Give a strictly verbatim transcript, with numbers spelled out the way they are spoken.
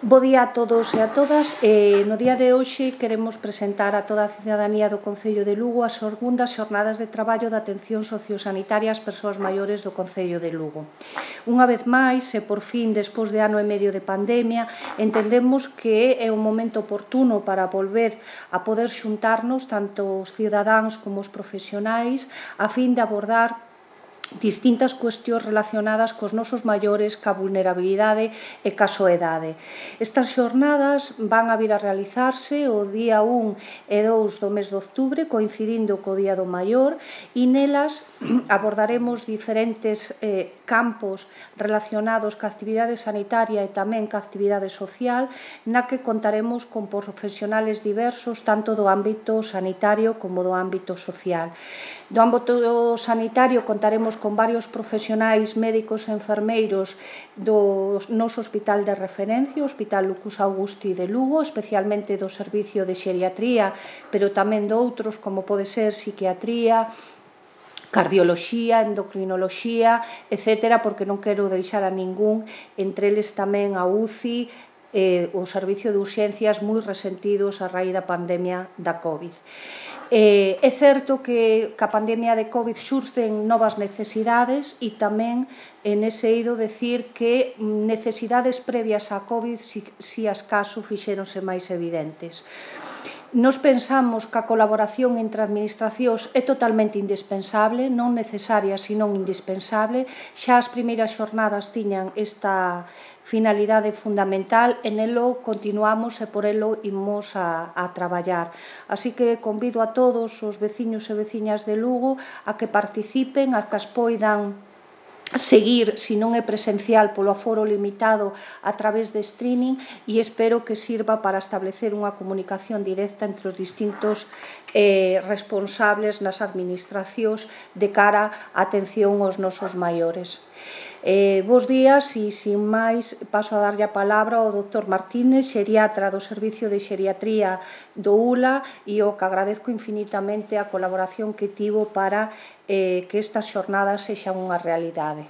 Bo día a todos e a todas. Eh, no día de hoxe queremos presentar a toda a cidadanía do Concello de Lugo as segundas xornadas de traballo de atención sociosanitaria ás persoas maiores do Concello de Lugo. Unha vez máis, e por fin, despois de ano e medio de pandemia, entendemos que é un momento oportuno para volver a poder xuntarnos tanto os cidadáns como os profesionais a fin de abordar distintas cuestións relacionadas cos nosos maiores, ca vulnerabilidade e ca soedade. Estas xornadas van a vir a realizarse o día un e dous do mes de outubro, coincidindo co Día do Maior, e nelas abordaremos diferentes eh, campos relacionados ca actividade sanitaria e tamén ca actividade social, na que contaremos con profesionales diversos, tanto do ámbito sanitario como do ámbito social. Do ámbito sanitario contaremos con varios profesionais médicos e enfermeiros do noso hospital de referencia, o Hospital Lucus Augusti de Lugo, especialmente do servicio de xeriatría, pero tamén de outros como pode ser psiquiatría, cardioloxía, endocrinoloxía, etcétera, porque non quero deixar a ningún, entre eles tamén a U C I, eh, o servicio de urxencias moi resentidos a raíz da pandemia da COVID. Eh, é certo que ca pandemia de COVID xurden novas necesidades e tamén en ese eido decir que necesidades previas á COVID si, si as caso fixéronse máis evidentes. Nos pensamos que a colaboración entre administracións é totalmente indispensable, non necesaria, senón indispensable. Xa as primeiras xornadas tiñan esta finalidade fundamental e nelo continuamos e por elo imos a, a traballar. Así que convido a todos os veciños e veciñas de Lugo a que participen, a que as poidan seguir, se non é presencial, polo aforo limitado a través de streaming, e espero que sirva para establecer unha comunicación directa entre os distintos eh, responsables nas administracións de cara á atención aos nosos maiores. Eh, bos días e, sin máis, paso a darlle a palabra ao doutor Martínez, xeriatra do Servicio de Xeriatría do U L A, e o que agradezco infinitamente a colaboración que tivo para eh, que estas xornadas sexan unha realidade.